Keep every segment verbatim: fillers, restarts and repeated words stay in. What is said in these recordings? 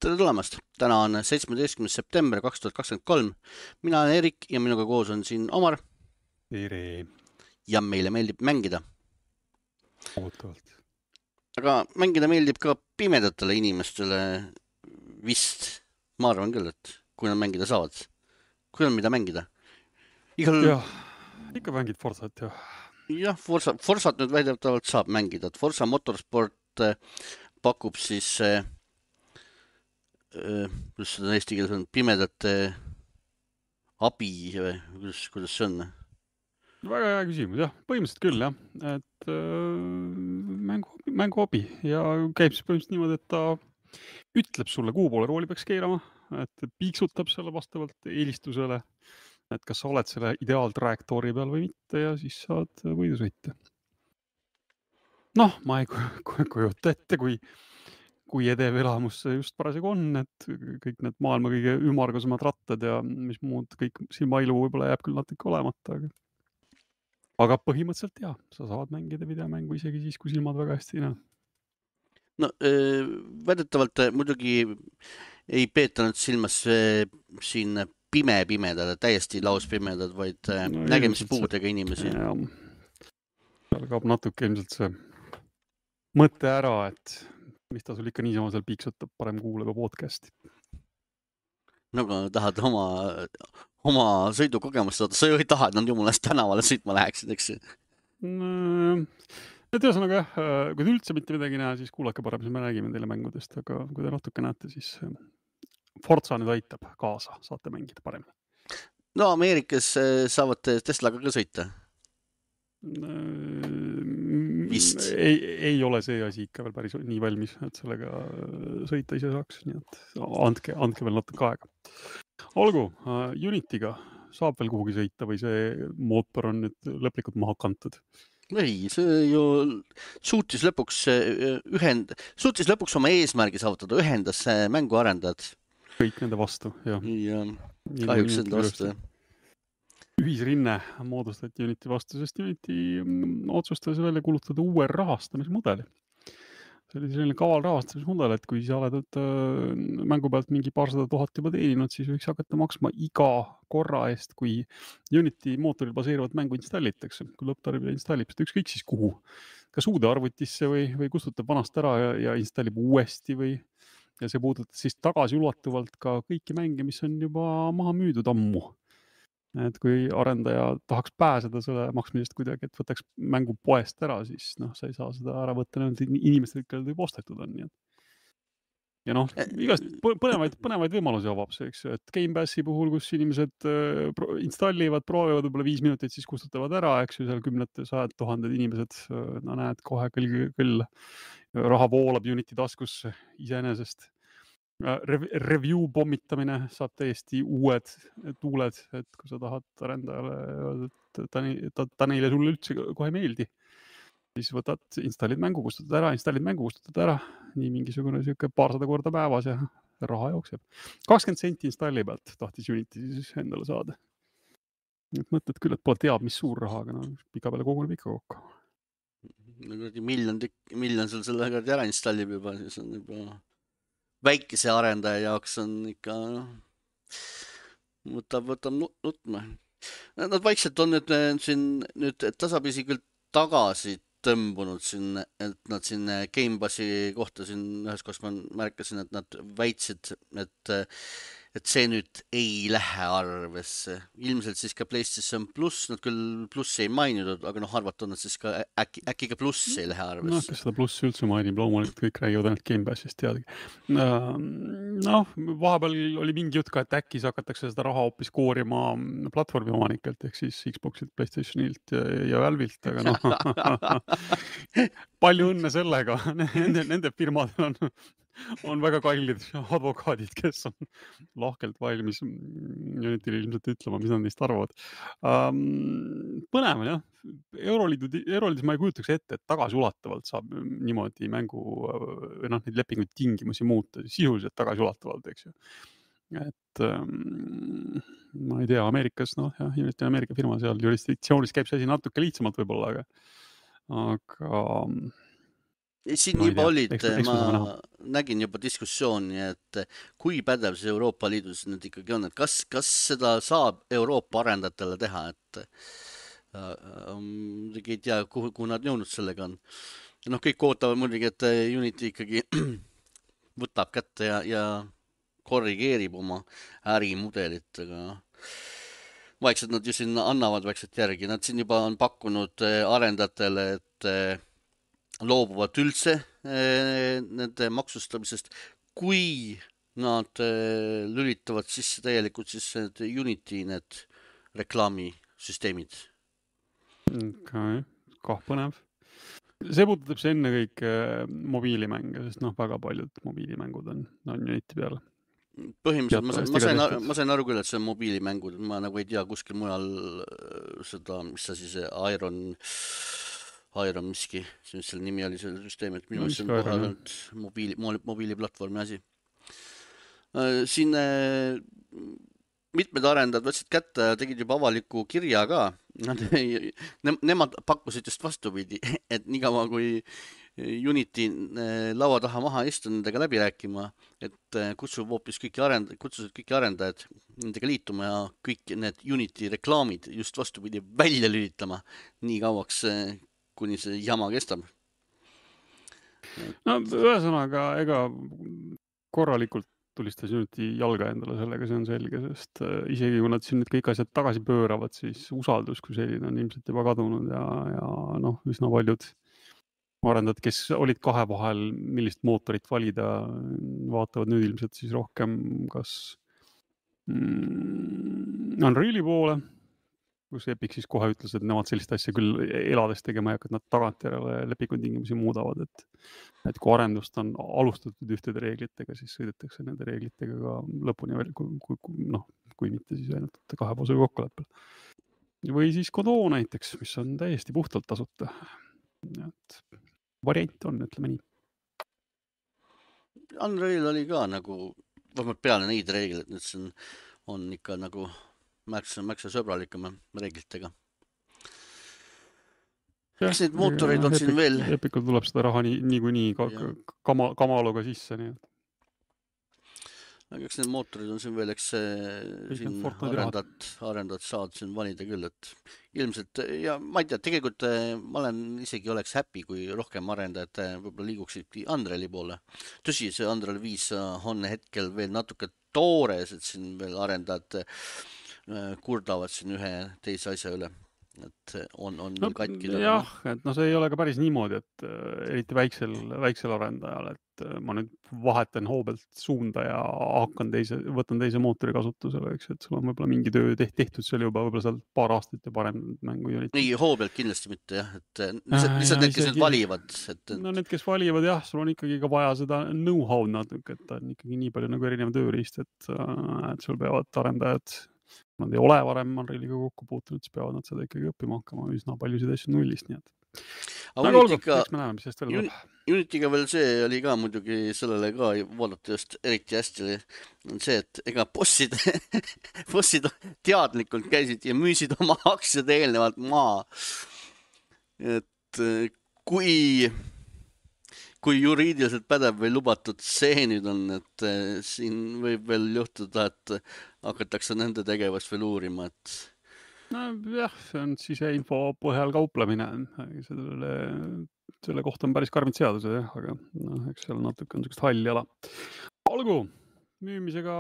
Tere tulemast! Täna on seitsmeteistkümnes september kaks tuhat kakskümmend kolm. Mina olen Erik ja minuga koos on siin Omar Tere. ja meile meeldib mängida. Ootavalt. Aga mängida meeldib ka pimedatele inimestele vist. Ma arvan küll, et kui nad mängida saavad. Kui on mida mängida. Igal... Jah, ikka mängid Forsat, jah. Jah, Forsa, Forsat nüüd väidetavalt saab mängida. Forsa Motorsport pakub siis... kuidas seda eesti keeles on, pimedate abi või kuidas, kuidas see on? Väga hea küsimus, jah. Põhimõtteliselt küll, jah. Et äh, mängu, mängu abi ja käib siis põhimõtteliselt niimoodi, et ta ütleb sulle, kuhu poole rooli peaks keerama, et piiksutab selle vastavalt eelistusele, et kas sa oled selle ideaaltrajektoori peal või mitte ja siis saad võidu sõita. Noh, ma ei kujuta ette, kui kui edev elamus see just parasjagu on, et kõik need maailma kõige ümargusemad rattad ja mis muud, kõik silmailu võib-olla jääb küll natuke olemata, aga aga põhimõtteliselt jah, sa saad mängida videomängu isegi siis, kui silmad väga hästi ei näe. No väidetavalt muidugi ei peeta nüüd silmas siin pime pimedad, täiesti lauspimedad, vaid no, nägemispuudega inimesi. Seal kaob natuke ilmselt see mõte ära, et mis ta sul ikka niisama seal piiksutab, parem kuuleba podcasti. No kui tahad oma, oma sõidukogemust saada, sa ju ei taha, et nad jumulast tänavale sõitma läheksid, eks? No, et ühesõnaga, kui te üldse mitte midagi näha, siis kuulake parem, siis me räägime teile mängudest, aga kui te natuke näete, siis Forza nüüd aitab kaasa, saate mängida paremini. No Ameerikas saavad Teslaga ka sõita. Vist. Ei, ei ole see asi ikka veel päris nii valmis, et sellega sõita ise saaks, nii et andke, andke veel natuke aega. Olgu, Unityga saab veel kuhugi sõita või see mootor on nüüd lõplikult maha kantud? Ei, see ju suutis lõpuks ühend... suutis lõpuks oma eesmärgi saavutada, ühendas mänguarendajad. Kõik nende vastu, jah. Ja kahjuks enda vastu, jah. Ühisrinne moodustati Unity vastu, sest Unity otsustas välja kulutada uue rahastamismudeli. See oli selline kaval rahastamismudel, et kui sa oled et, mängu pealt mingi paarsada tuhat juba teeninud, siis võiks hakata maksma iga korra eest, kui Unity mootoril baseeruvat mängu installitakse. Kui lõpptarbija installib seda ükskõik siis kuhu. Kas uude arvutisse või, või kustutab vanast ära ja, ja installib uuesti või ja see puudutab siis tagasi ulatuvalt ka kõiki mänge, mis on juba maha müüdud ammu. Et kui arendaja tahaks pääseda selle maksmisest kuidagi, et võtaks mängu poest ära, siis noh, sa ei saa seda ära võtta need inimesed, kellel võib ostetud on. Nii. Ja noh, igast põnevaid, põnevaid võimalusi avab see, eks, et Game Passi puhul, kus inimesed installivad, proovivad võib-olla viis minutit, siis kustutavad ära, eks ju, seal kümned, sajad tuhanded inimesed, no näed, kohe küll, küll raha voolab Unity taskusse iseenesest. Review pommitamine saab täiesti uued tuuled, et kui sa tahad arendajale, et ta, ta, ta neile sulle üldse kohe meeldi, siis võtad, installid mängu, kustutad ära, installid mängu, kustutad ära, nii mingisugune siuke paarsada korda päevas ja raha jookseb. kakskümmend senti installi pealt tahtis Unity siis endale saada. Et mõtled küll, et pole teab, mis suur raha, aga no, pika peale koguneb ikka kokku. Miljon, miljon sul selle ära installib juba, siis on juba... väikese arendaja jaoks on ikka no, võtab, võtab nutma. Nad vaikselt on nüüd, siin, nüüd tasapisi küll tagasi tõmbunud siin, et nad siin Game Passi kohta siin ühes kohas ma märkasin, et nad väitsid, et, et see nüüd ei lähe arvesse. Ilmselt siis ka PlayStation Plus, nad küll plussi ei maininud, aga noh, arvata on nad siis ka äkki, äkki ka pluss ei lähe arvesse. No, kes seda plussi üldse mainib, loomulikult kõik räägivad ainult Game Passist teadagi. Noh, vahepeal oli mingi jutt ka, et äkki hakatakse seda raha hoopis koorima platvormi omanikelt, ehk siis Xboxilt, PlayStationilt ja, ja Valve'ilt, aga noh, palju õnne sellega. Nende, nende firmadel on on väga kallid advokaadid, kes on lahkelt valmis Unity'le ilmselt ütlema, mis nad neist arvavad. Um, põnev, jah. Euroliidu, Euroliidus ma ei kujutaks ette, et tagasi ulatavalt saab niimoodi mängu või noh, neid lepinguid tingimusi muuta, sisuliselt tagasi ulatavalt, eks ju. Et um, ma ei tea, Ameerikas, noh, jah, Unity on Ameerika firma, seal jurisdiktsioonis käib see asi natuke lihtsamalt võib-olla, aga aga siin ma ei juba tea, olid, eks, eks ma me saame näha. nägin juba diskussiooni, et kui pädev see Euroopa Liidus nüüd ikkagi on, et kas, kas seda saab Euroopa arendajatele teha, et äh, muidugi ei tea, kuhu, kuhu nad jõudnud sellega on. noh, kõik ootavad muidugi, et Unity ikkagi võtab kätte ja, ja korrigeerib oma ärimudelit, aga noh, vaikselt nad ju siin annavad vaikselt järgi, nad siin juba on pakkunud arendajatele, et loobuvad üldse nende maksustamisest, kui nad lülitavad sisse täielikult siis need Unity need reklaamisüsteemid. Okay. Kah põnev. See puudutab see ennekõike mobiilimänge, sest noh, väga paljud mobiilimängud on, on Unity peal. Põhimõtteliselt ma sain, ma sain, ma sain aru küll, et see on mobiilimängud, ma nagu ei tea kuskil mujal seda, mis see siis Iron Iron miski, mis selle nimi oli selle süsteemi, et minu meelest see on kohe ainult mobiili, mobiiliplatvormi asi. Siin mitmed arendajad võtsid kätte ja tegid juba avaliku kirja ka. Nad, ne, nemad pakkusid just vastupidi, et nii kaua kui Unity laua taha maha istu nendega läbi rääkima, et kutsub hoopis kõiki arendajad, kutsusid kõiki arendajad nendega liituma ja kõik need Unity reklaamid just vastupidi välja lülitama nii kauaks, kuni see jama kestab. No ühesõnaga, ega korralikult tulistas Unity jalga endale sellega, see on selge, sest isegi kui nad siin nüüd kõik asjad tagasi pööravad, siis usaldus kui selline on ilmselt juba kadunud ja, ja noh, üsna paljud arendajad, kes olid kahe vahel, millist mootorit valida, vaatavad nüüd ilmselt siis rohkem kas mm, Unreali poole, kus Epic siis kohe ütles, et nemad sellist asja küll elades tegema ei hakka, et nad tagantjärele lepingutingimusi muudavad, et, et kui arendust on alustatud ühtede reeglitega, siis sõidetakse nende reeglitega ka lõpuni veel, kui, kui, noh, kui mitte siis ainult kahepoolsel kokkuleppel. Või siis Godot näiteks, mis on täiesti puhtalt tasuta. Et variant on, ütleme nii. Unreal oli ka nagu, vähemalt peale neid reegleid, nüüd see on, on ikka nagu märksa, märksa sõbralikuma reeglitega. Kas neid mootoreid on Epic, siin veel? Epicul tuleb seda raha nii, nii kui nii kama, kamaluga sisse, nii et. Eks need mootorid on siin veel, eks siin arendad, arendad saad siin valida küll, et ilmselt, ja ma ei tea, tegelikult ma olen isegi oleks happy, kui rohkem arendajad võib-olla liiguksid Unreali poole. Tõsi, see Unreal viis on hetkel veel natuke toores, et siin veel arendajad kurdavad siin ühe teise asja üle, et on, on no, katki. Jah, et no see ei ole ka päris niimoodi, et äh, eriti väiksel, väiksel arendajal, et äh, ma nüüd vahetan hoobelt suunda ja hakkan teise, võtan teise mootori kasutusele, eks, et sul on võib-olla mingi töö tehtud seal juba võib-olla seal paar aastat ja parem mängu Unity. Nii, hoobelt kindlasti mitte jah, et lihtsalt, lihtsalt need, kes nüüd valivad. Et... no need, kes valivad jah, sul on ikkagi ka vaja seda know-how natuke, et ta on ikkagi nii palju nagu erinev tööriist, et, et sul peavad arendajad nad ei ole varem Unrealiga kokku puutunud, siis peavad nad seda ikkagi õppima hakkama üsna paljusid asju nullist, nii et. Aga olgu, eks me näeme, mis sellest veel tuleb. Unityga veel see oli ka muidugi sellele ka vaadata just eriti hästi, on see, et ega bossid, bossid teadlikult käisid ja müüsid oma aktsiad eelnevalt maa. Et kui... kui juriidiliselt pädev või lubatud see nüüd on, et siin võib veel juhtuda, et hakatakse nende tegevust veel uurima, et... No jah, see on siseinfo põhjal kauplemine. Selle, selle kohta on päris karmid seadused, jah, aga no, eks seal natuke on sellist halli ala. Olgu, müümisega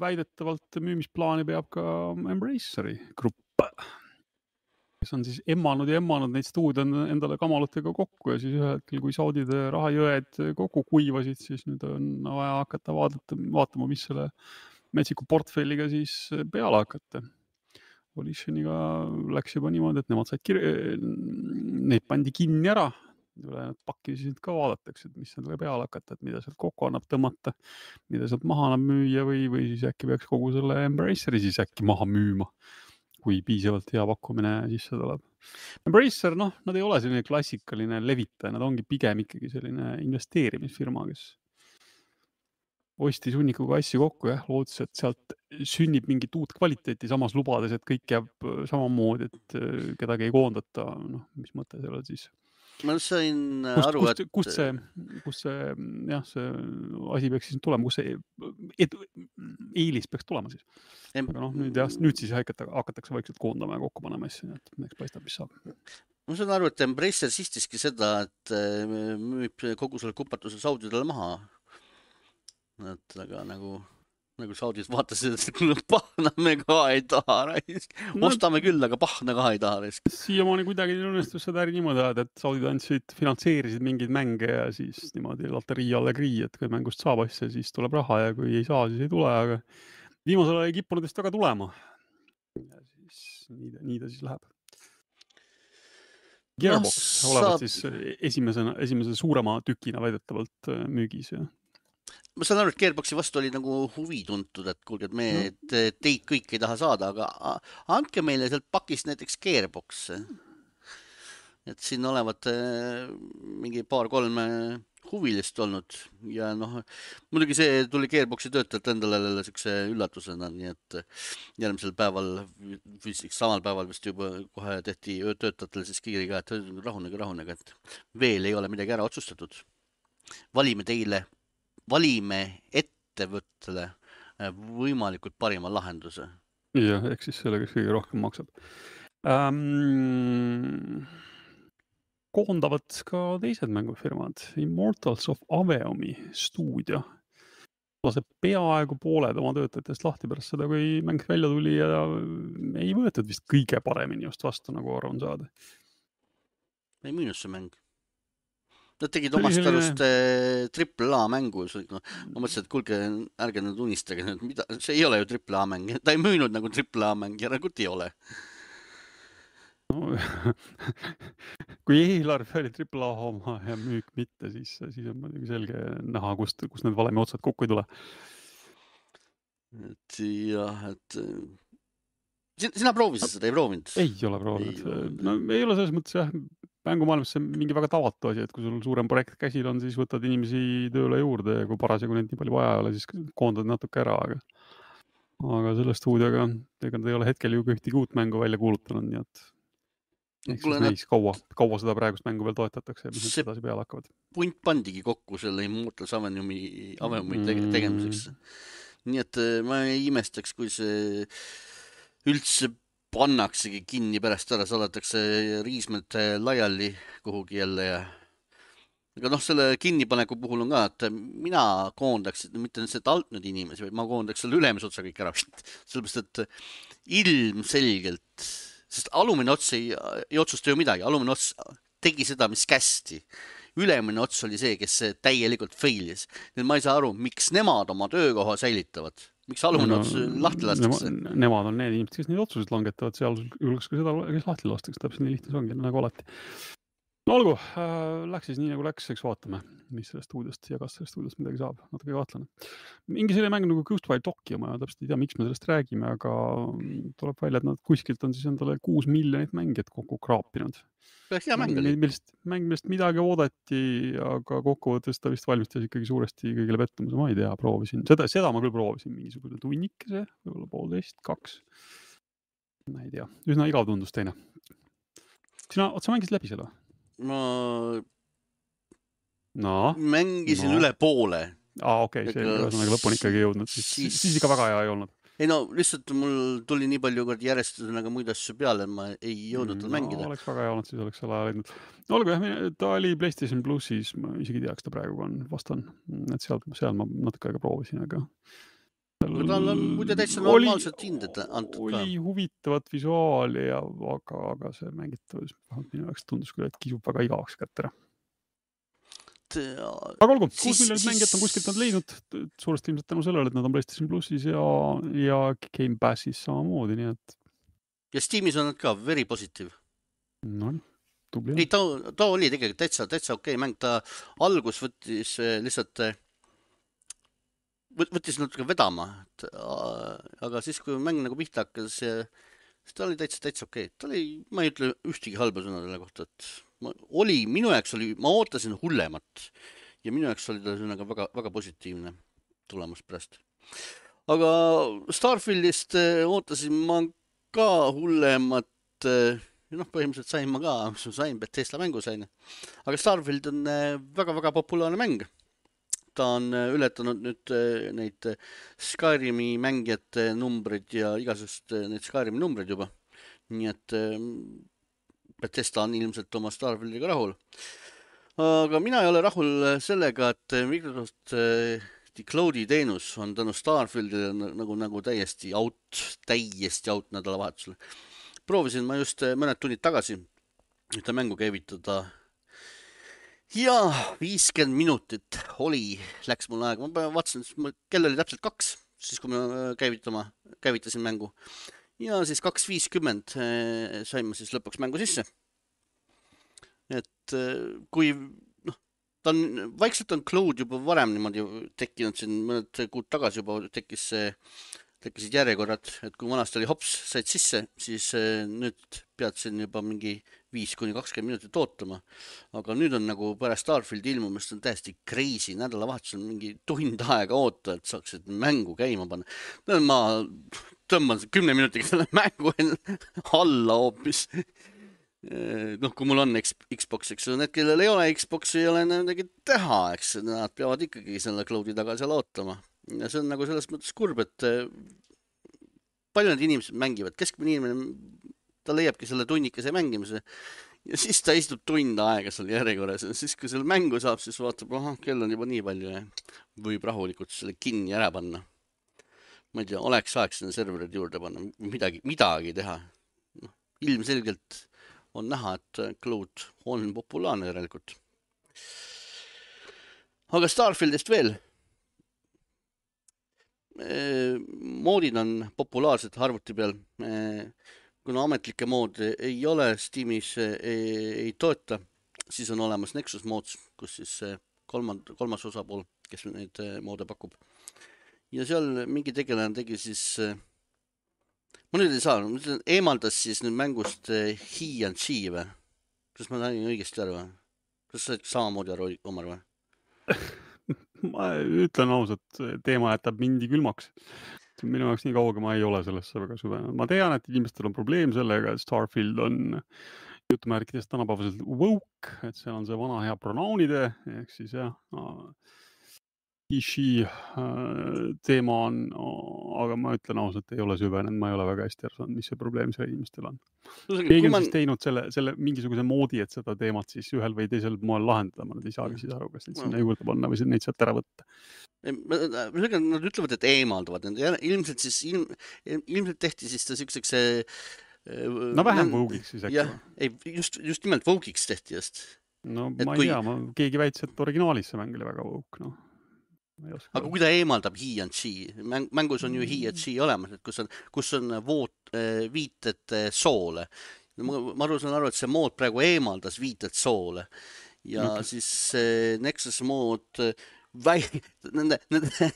väidetavalt müümisplaani peab ka Embraceri grupp, kes on siis emmanud ja emmanud neid stuudio endale kamalutega kokku ja siis ühel hetkel, kui Saudide rahajõed kokku kuivasid, siis nüüd on vaja hakata vaadata, vaatama, mis selle metsiku portfelliga siis peale hakata. Volitioniga läks juba niimoodi, et nemad said kirja, neid pandi kinni ära, pakki siis ka vaadatakse, et mis nendele peale hakata, et mida sealt kokku annab tõmmata, mida sealt maha annab müüa või, või siis äkki peaks kogu selle Embraceri siis äkki maha müüma, kui piisavalt hea pakkumine sisse tuleb. Embracer, noh, nad ei ole selline klassikaline levitaja, nad ongi pigem ikkagi selline investeerimisfirma, kes ostis hunnikuga asju kokku, jah, lootus, et sealt sünnib mingit uut kvaliteeti, samas lubades, et kõik jääb samamoodi, et kedagi ei koondata, noh, mis mõte sellel siis. ma sain Kust, aru, kust, et kust see, kust see, jah, see asi peaks siis tulema, kus see et, eelis peaks tulema siis. em, Aga noh, nüüd, jah, nüüd siis hakata, hakatakse vaikselt koondama ja kokku panema asju, et eks paistab, mis saab. ma saan aru, et Embracer sistiski seda, et müüb kogu selle kupatuse saudidele maha. Et aga nagu, nagu saudid vaatasid, et pahna me ka ei taha. No, ostame küll, aga pahna ka ei taha. siiamaani kuidagi õnnestus seda äri niimoodi ajada, et saudid andsid, finantseerisid mingeid mänge ja siis niimoodi loterii alla krii, et kui mängust saab asja, siis tuleb raha ja kui ei saa, siis ei tule, aga viimasel ajal ei kippunud vist väga tulema. Ja siis nii, nii ta siis läheb. Gearbox no, olevat saab... siis esimesena, esimese suurema tükina väidetavalt müügis. Ja. Ma saan aru, et Gearboxi vastu oli nagu huvi tuntud, et kuulge, et me no. teid kõik ei taha saada, aga andke meile sealt pakist näiteks Gearbox. Et siin olevat mingi paar-kolm huvilist olnud ja noh, muidugi see tuli Gearboxi töötajalt endale sükse üllatusena, nii et järgmisel päeval, samal päeval vist juba kohe tehti töötajatele siis kiiriga, et rahunege, rahunege, et veel ei ole midagi ära otsustatud. Valime teile, valime ettevõttele võimalikult parima lahenduse. Jah, ehk siis selle, kes kõige rohkem maksab. Um... koondavad ka teised mängufirmad. Immortals of Aveumi stuudio laseb peaaegu pooled oma töötajatest lahti pärast seda, kui mäng välja tuli ja ei võetud vist kõige paremini just vastu, nagu arvan saada. Ei müünud see mäng. Nad tegid omast selline... arust triple A mängu. No, ma mõtlesin, et kuulge, ärge nüüd unistage. Mida? See ei ole ju triple A mäng. Ta ei müünud nagu triple A mäng ja nagu ei ole. No, kui eelarve oli triple A oma ja müük mitte, siis, siis on muidugi selge näha, kust, kust need valemi otsad kokku ei tule. Et jah, et sina, sina proovisid seda, ei proovinud? Ei ole proovinud. Ei, no ei ole selles mõttes jah, mängumaailmas see mingi väga tavatu asi, et kui sul suurem projekt käsil on, siis võtad inimesi tööle juurde ja kui parasjagu neid nii palju vaja ei ole, siis koondad natuke ära, aga aga selle stuudioga ega nad ei ole hetkel ju ühtegi uut mängu välja kuulutanud, nii et ehk siis näis kaua, kaua seda praegust mängu veel toetatakse ja mis need edasi peale hakkavad. Punt pandigi kokku selle Immortals Aveumi, Aveumi tege, tegemiseks. Nii et ma ei imestaks, kui see üldse pannaksegi kinni pärast ära, saadetakse riismed laiali kuhugi jälle ja aga noh, selle kinnipaneku puhul on ka, et mina koondaks, mitte seda alt nüüd inimesi, vaid ma koondaks selle ülemise otsa kõik ära. Sellepärast, et ilmselgelt sest alumine ots ei, ei otsusta ju midagi. Alumine ots tegi seda, mis kästi. Ülemine ots oli see, kes täielikult failis. Nii ma ei saa aru, miks nemad oma töökoha säilitavad. Miks alumine no, ots lahti lastakse? Nema, nemad on need inimesed, kes neid otsused langetavad. Seal julgeks ka seda, kes lahti lastakse. Täpselt nii lihtne see ongi, nagu alati. No olgu, äh, läks siis nii nagu läks, eks vaatame, mis sellest stuudiost ja kas sellest stuudiost midagi saab, natuke kahtlane. Mingi selline mäng nagu Ghostwire Tokyo, ma täpselt ei tea, miks me sellest räägime, aga tuleb välja, et nad kuskilt on siis endale kuus miljonit mängijat kokku kraapinud. Hea mäng oli. Millest, mäng, millest midagi oodati, aga kokkuvõttes ta vist valmistas ikkagi suuresti kõigile pettumuse, ma ei tea, proovisin. Seda, seda ma küll proovisin, mingisugune tunnikese, võib-olla poolteist, kaks. Ma ei tea, üsna igav tundus teine. Sina, otsa mängisid läbi selle? Ma no, mängisin no. üle poole. Aa, okei, okay, see on aga lõpuni ikkagi jõudnud. Siis, siis... siis ikka väga hea ei olnud. Ei no, lihtsalt mul tuli nii palju kord järjestusena muid asju peale, et ma ei jõudnud tal no, mängida. Oleks väga hea olnud, siis oleks selle aja leidnud. No olgu, jah, ta oli PlayStation Plusis, ma isegi teaks, ta praegu on vastan. Et seal, seal ma natuke aega proovisin, aga... No, tal on muide täitsa normaalselt hinded antud oli ka. Oli huvitavat visuaali, ja, aga, aga see mängitavus minu jaoks tundus küll, et kisub väga igavaks kätte ära. Aga olgu, kuus miljonit mängijat on kuskilt nad leidnud, suuresti ilmselt tänu sellele, et nad on PlayStation Plusis ja, ja Game Passis samamoodi, nii et... Ja Steamis on nad ka very positive. No, tubli. Ei, ta, ta oli tegelikult täitsa, täitsa okei mäng, ta algus võttis lihtsalt... võttis natuke vedama, et, aga siis, kui mäng nagu pihta hakkas, siis ta oli täitsa, täitsa okei. Ta oli, ma ei ütle ühtegi halba sõna selle kohta, et ma, oli, minu jaoks oli, ma ootasin hullemat ja minu jaoks oli ta sõnaga väga, väga positiivne tulemus pärast. Aga Starfieldist ootasin ma ka hullemat noh, põhimõtteliselt sain ma ka, mis ma sain, Bethesda mängu sain. Aga Starfield on väga-väga populaarne mäng. Ta on ületanud nüüd neid Skyrimi mängijate numbrid ja igasugust neid Skyrimi numbrid juba. Nii et Bethesda on ilmselt oma Starfieldiga rahul. Aga mina ei ole rahul sellega, et Microsoft Cloudi teenus on tänu Starfieldile nagu, nagu täiesti out, täiesti out nädalavahetusel. Proovisin ma just mõned tunnid tagasi ühte mängu käivitada ja viiskümmend minutit oli, läks mul aega. Ma vaatasin, kell oli täpselt kaks, siis kui ma käivitama, käivitasin mängu. Ja siis kaks viiskümmend sain ma siis lõpuks mängu sisse. Et kui, noh, ta on, vaikselt on Cloud juba varem niimoodi tekkinud siin mõned kuud tagasi juba tekkis see tekkisid järjekorrad, et kui vanasti oli hops, said sisse, siis nüüd pead siin juba mingi viis kuni kakskümmend minutit ootama. Aga nüüd on nagu pärast Starfieldi ilmumist on täiesti crazy, nädalavahetusel mingi tund aega oota, et saaksid mängu käima panna. Ma tõmban kümne minutiga selle mängu alla hoopis. Noh, kui mul on Xbox, eks need, kellel ei ole Xbox, ei ole midagi teha, eks nad peavad ikkagi selle Cloudi taga seal ootama. Ja see on nagu selles mõttes kurb, et palju need inimesed mängivad. Keskmine inimene, ta leiabki selle tunnikese mängimise ja siis ta istub tund aega seal järjekorras. Ja siis, kui selle mängu saab, siis vaatab, aha, kell on juba nii palju ja võib rahulikult selle kinni ära panna. Ma ei tea, oleks aeg sinna serverid juurde panna, midagi, midagi teha. No, ilmselgelt on näha, et Cloud on populaarne järelikult. Aga Starfieldist veel. Moodid on populaarsed arvuti peal, kuna ametlikke moodi ei ole Steamis, ei, ei toeta, siis on olemas Nexus Mods, kus siis kolmand, kolmas osapool, kes neid moode pakub. Ja seal mingi tegelane tegi siis, ma nüüd ei saa, eemaldas siis nüüd mängust He and She või? Kas ma näin õigesti aru või? Kas sa samamoodi aru, Omar või? Ma ütlen ausalt, teema jätab mindi külmaks. Minu jaoks nii kauga ma ei ole sellesse väga süvenenud. Ma tean, et inimestel on probleem sellega, et Starfield on jutumärkidest tänapäevaselt woke, et see on see vana hea pronounide, ehk siis jah, ishi teema on, aga ma ütlen ausalt, ei ole süvenenud, ma ei ole väga hästi aru saanud, mis see probleem selle inimestel on. Keegi on siis teinud selle, selle mingisuguse moodi, et seda teemat siis ühel või teisel moel lahendada, ma nüüd ei saagi siis aru, kas neid sinna juurde panna või neid sealt ära võtta. Nad ütlevad, et eemaldavad. Ilmselt siis, ilm, ilmselt tehti siis ta siukseks no vähem voguiks siis äkki. Jah, ei, just, just nimelt voguiks tehti just. No ma ei kui... tea, ma, keegi väitis, et originaalis see mäng oli väga vogue, noh. Aga kui ta eemaldab He and She, mängus on ju He and She olemas, et kus on, kus on voot, viited soole. Ma, ma aru saan aru, et see mood praegu eemaldas viited soole. Ja okay. Siis Nexus mood, väi, nende, nende,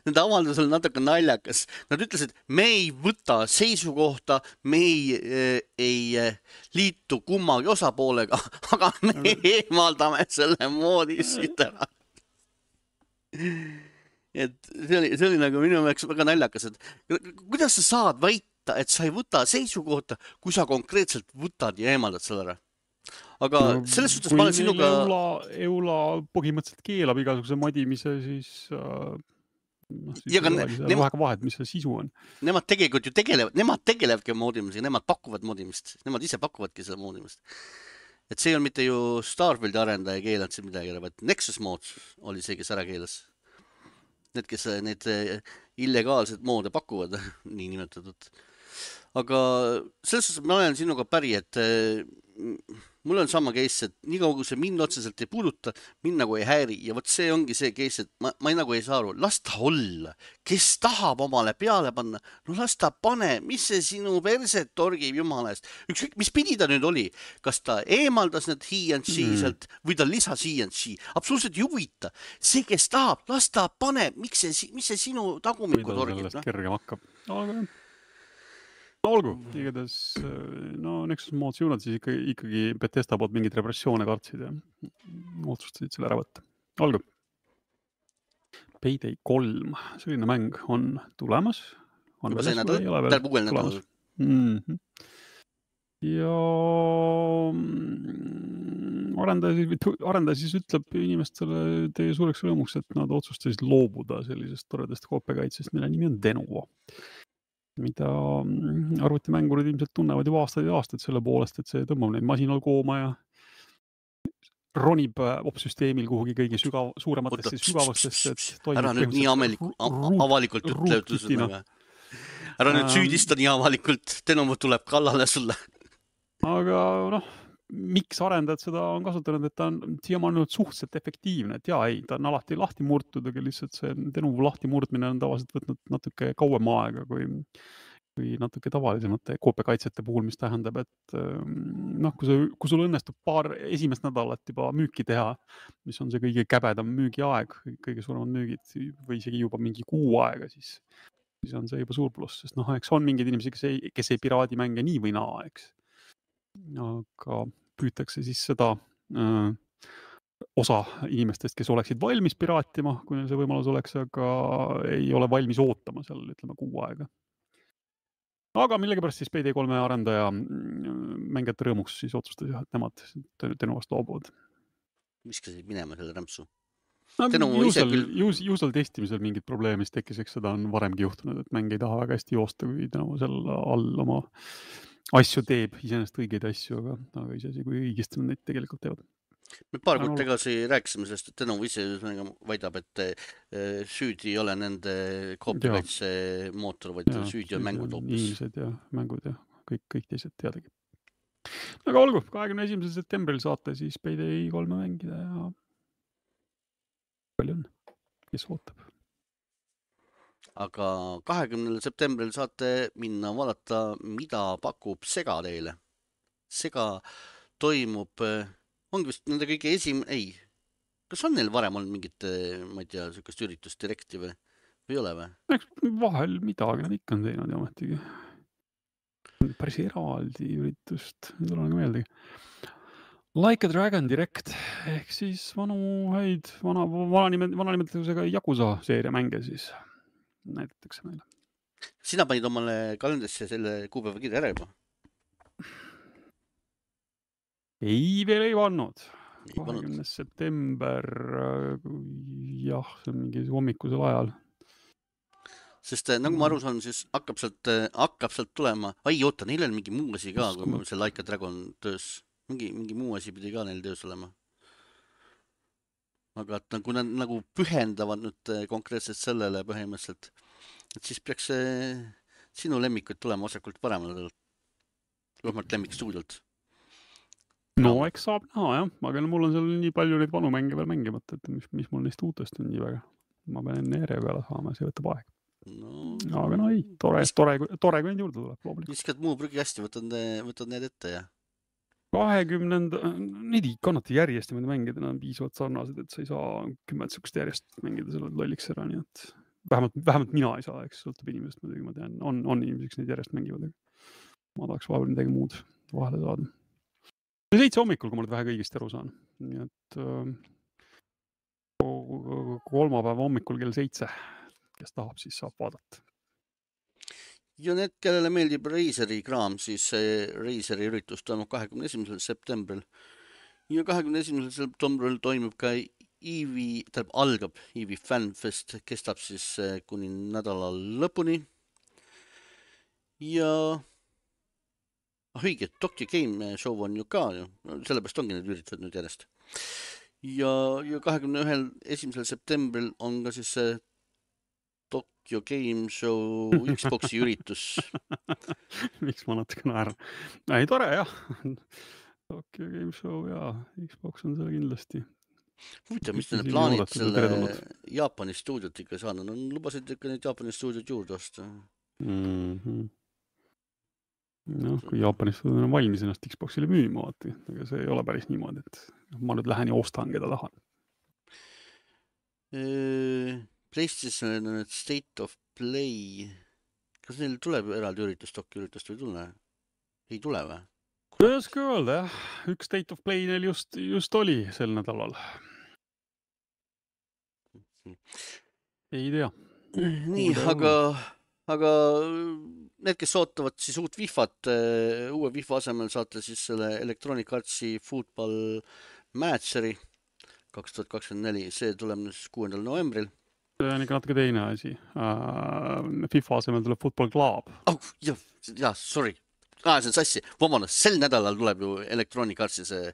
nende avaldus oli natuke naljakas. Nad ütlesid, me ei võta seisukohta, me ei, ei liitu kummagi osapoolega, aga me okay. eemaldame selle moodi siit ära. Et see oli, see oli nagu minu jaoks väga naljakas, et kuidas sa saad väita, et sa ei võta seisukohta, kui sa konkreetselt võtad ja eemaldad selle ära. Aga no, selles suhtes ma olen sinuga... Eula, Eula põhimõtteliselt keelab igasuguse modimise, siis, äh, no, siis ja, ne, nema... väga vahet, mis see sisu on. Nemad tegelikult ju tegelevad, nemad tegelevadki moodimisega, nemad pakuvad moodimist, nemad ise pakuvadki selle moodimist. Et see on mitte ju Starfieldi arendaja keelanud siin midagi, vaid Nexus Mods oli see, kes ära keelas. Need, kes need illegaalsed moode pakuvad, nii nimetatud. Aga selles suhtes ma olen sinuga päri, et mul on sama case, et nii kaugu see mind otseselt ei puuduta, mind nagu ei häiri. Ja võt see ongi see case, et ma, ma ei, nagu ei saa aru, las ta olla. Kes tahab omale peale panna, no las ta pane, mis see sinu perset torgib jumala eest. Ükskõik, mis pidi ta nüüd oli, kas ta eemaldas need He and She mm. sealt või ta lisas He and She. Absoluutselt ei huvita. See, kes tahab, las ta pane, miks see, mis see sinu tagumiku torgib. Mida sellest kergem hakkab. Aga olgu, igatahes, no Nexus Mods juunad siis ikkagi, ikkagi Bethesda poolt mingid repressioone kartsid ja otsustasid selle ära võtta. Olgu. Payday kolm, selline mäng on tulemas. On juba see nädal, tähendab uuel nädal. Mm-hmm. ja mm, arendaja, siis- arendaja siis ütleb inimestele teie suureks rõõmuks, et nad otsustasid loobuda sellisest toredast koopiakaitsest, mille nimi on Denuvo, mida mm, arvutimängurid ilmselt tunnevad juba aastaid ja aastaid selle poolest, et see tõmbab neid masinal kooma ja ronib äh, opsüsteemil kuhugi kõige sügav, Oota, suurematesse pss, pss, sügavustesse, pss, et pss. Ära toimib nüüd nii põhimõtteliselt ameliku, ru- a- a- ruut- avalikult ütle, ruutkitina. ütlesõnaga. Ära nüüd Ähm, süüdista nii avalikult, Denovo tuleb kallale sulle. aga noh, miks arendajad seda on kasutanud, et ta on siiamaani olnud suhteliselt efektiivne, et jaa, ei, ta on alati lahti murtud, aga lihtsalt see Denuvo lahti murdmine on tavaliselt võtnud natuke kauem aega kui, kui natuke tavalisemate koopiakaitsete puhul, mis tähendab, et ähm, noh, kui, see, kui sul õnnestub paar esimest nädalat juba müüki teha, mis on see kõige käbedam müügiaeg, kõige suuremad müügid või isegi juba mingi kuu aega, siis, siis on see juba suur pluss, sest noh, eks on mingeid inimesi, kes ei, kes ei piraadi mänge nii või naa, eks. Aga püütakse siis seda äh, osa inimestest, kes oleksid valmis piraatima, kui neil see võimalus oleks, aga ei ole valmis ootama seal, ütleme, kuu aega. Aga millegipärast siis P D kolme arendaja mängijate rõõmuks siis otsustas, et nemad Denovast loobuvad. Viskasid minema selle rämpsu. No, Denovo ju ise seal, küll... ju, ju seal testimisel mingid probleemid tekkis, eks seda on varemgi juhtunud, et mäng ei taha väga hästi joosta, kui Denovo seal all oma asju teeb, iseenesest õigeid asju, aga, aga isegi kui õigesti nad neid tegelikult teevad. Me paar kuud tagasi rääkisime sellest, et Denovo ise väidab, et süüdi ei ole nende koopiakaitse mootor, vaid ja, süüdi on mängud hoopis. Inimesed ja mängud ja kõik, kõik teised teadagi. Aga olgu, kahekümne esimesel septembril saate siis P D kolme mängida ja palju on, kes ootab. Aga kahekümnendal septembril saate minna vaadata, mida pakub Sega teile. Sega toimub, ongi vist nende kõige esim-, ei, kas on neil varem olnud mingit, ma ei tea, sükast üritust direkti või, või ei ole või? Eks vahel midagi nad ikka on teinud ja ometigi. Päris eraldi üritust, ei tule nagu meeldegi. Like a Dragon Direct, ehk siis vanu häid, vana, vana, nimed, vana nimetusega Yakuza seeria mänge siis näidatakse meile. Sina panid omale kalendrisse selle kuupäeva kirja ära juba? Ei, veel ei pannud. kahekümnes september, jah, see on mingi hommikusel ajal. Sest nagu ma aru saan, siis hakkab sealt, hakkab sealt tulema, ai oota, neil on mingi muu asi ka, kui see Like a Dragon töös, mingi, mingi muu asi pidi ka neil töös olema. Aga et kui nad nagu pühendavad nüüd konkreetselt sellele põhimõtteliselt, et siis peaks sinu lemmikud tulema osakult paremale, vähemalt lemmikstuudilt. No eks saab näha jah, aga mul on seal nii palju neid vanu mänge veel mängimata, et mis, mis mul neist uutest on nii väga. Ma pean enne järje peale saama, see võtab aeg. No, aga no ei, tore, tore, tore, kui neid juurde tuleb. Viskad muu prügi hästi, võtad, võtad need ette ja? kahekümnenda, neid ei kannata järjest ja mängida, nad on piisavalt sarnased, et sa ei saa kümmet sükust järjest mängida selle lolliks ära, nii et vähemalt, vähemalt mina ei saa, eks sõltub inimesest, muidugi ma tean, on, on inimesed, kes neid järjest mängivad, aga ma tahaks vahepeal midagi muud vahele saada. Seitse hommikul, kui ma nüüd vähe kõigist aru saan, nii et kolmapäeva hommikul kell seitse, kes tahab, siis saab vaadata. Ja need, kellele meeldib Razeri kraam, siis Razeri üritus toimub kahekümne esimesel septembril. Ja kahekümne esimesel septembril toimub ka Eevee, tähendab algab Eevee Fanfest, kestab siis kuni nädala lõpuni. Ja õige, Tokyo Game Show on ju ka, sellepärast ongi need üritused nüüd järjest. Ja, ja kahekümne ühel esimesel septembril on ka siis Tokyo Game Show Xboxi üritus. Miks ma natuke naeran? Ei, tore jah. Tokyo Game Show ja Xbox on seal kindlasti. Huvitav, mis need plaanid selle Jaapani stuudiot ikka saanud? No, lubasid ikka neid Jaapani stuudiot juurde osta. Mm-hmm. No, kui Jaapani stuudiot on valmis ennast Xboxile müüma, vaati, aga see ei ole päris niimoodi, et ma nüüd lähen ja ostan, keda tahan. PlayStation on State of Play. Kas neil tuleb eraldi üritust, Tokyo üritust või tule? Ei tule või? Kuidas ka öelda, jah. Üks State of Play neil just, just oli sel nädalal. Ei tea. Nii, aga aga need, kes ootavad siis uut Wifat, uue Wifa asemel saate siis selle Electronic Artsi Football Manageri kaks tuhat kakskümmend neli, see tuleb nüüd siis kuuendal novembril. See on ikka natuke teine asi. Uh, FIFA asemel tuleb Football Club. Oh, jah, jah, sorry. Ah, see on sassi. Vabandust, sel nädalal tuleb ju Electronic Artsi see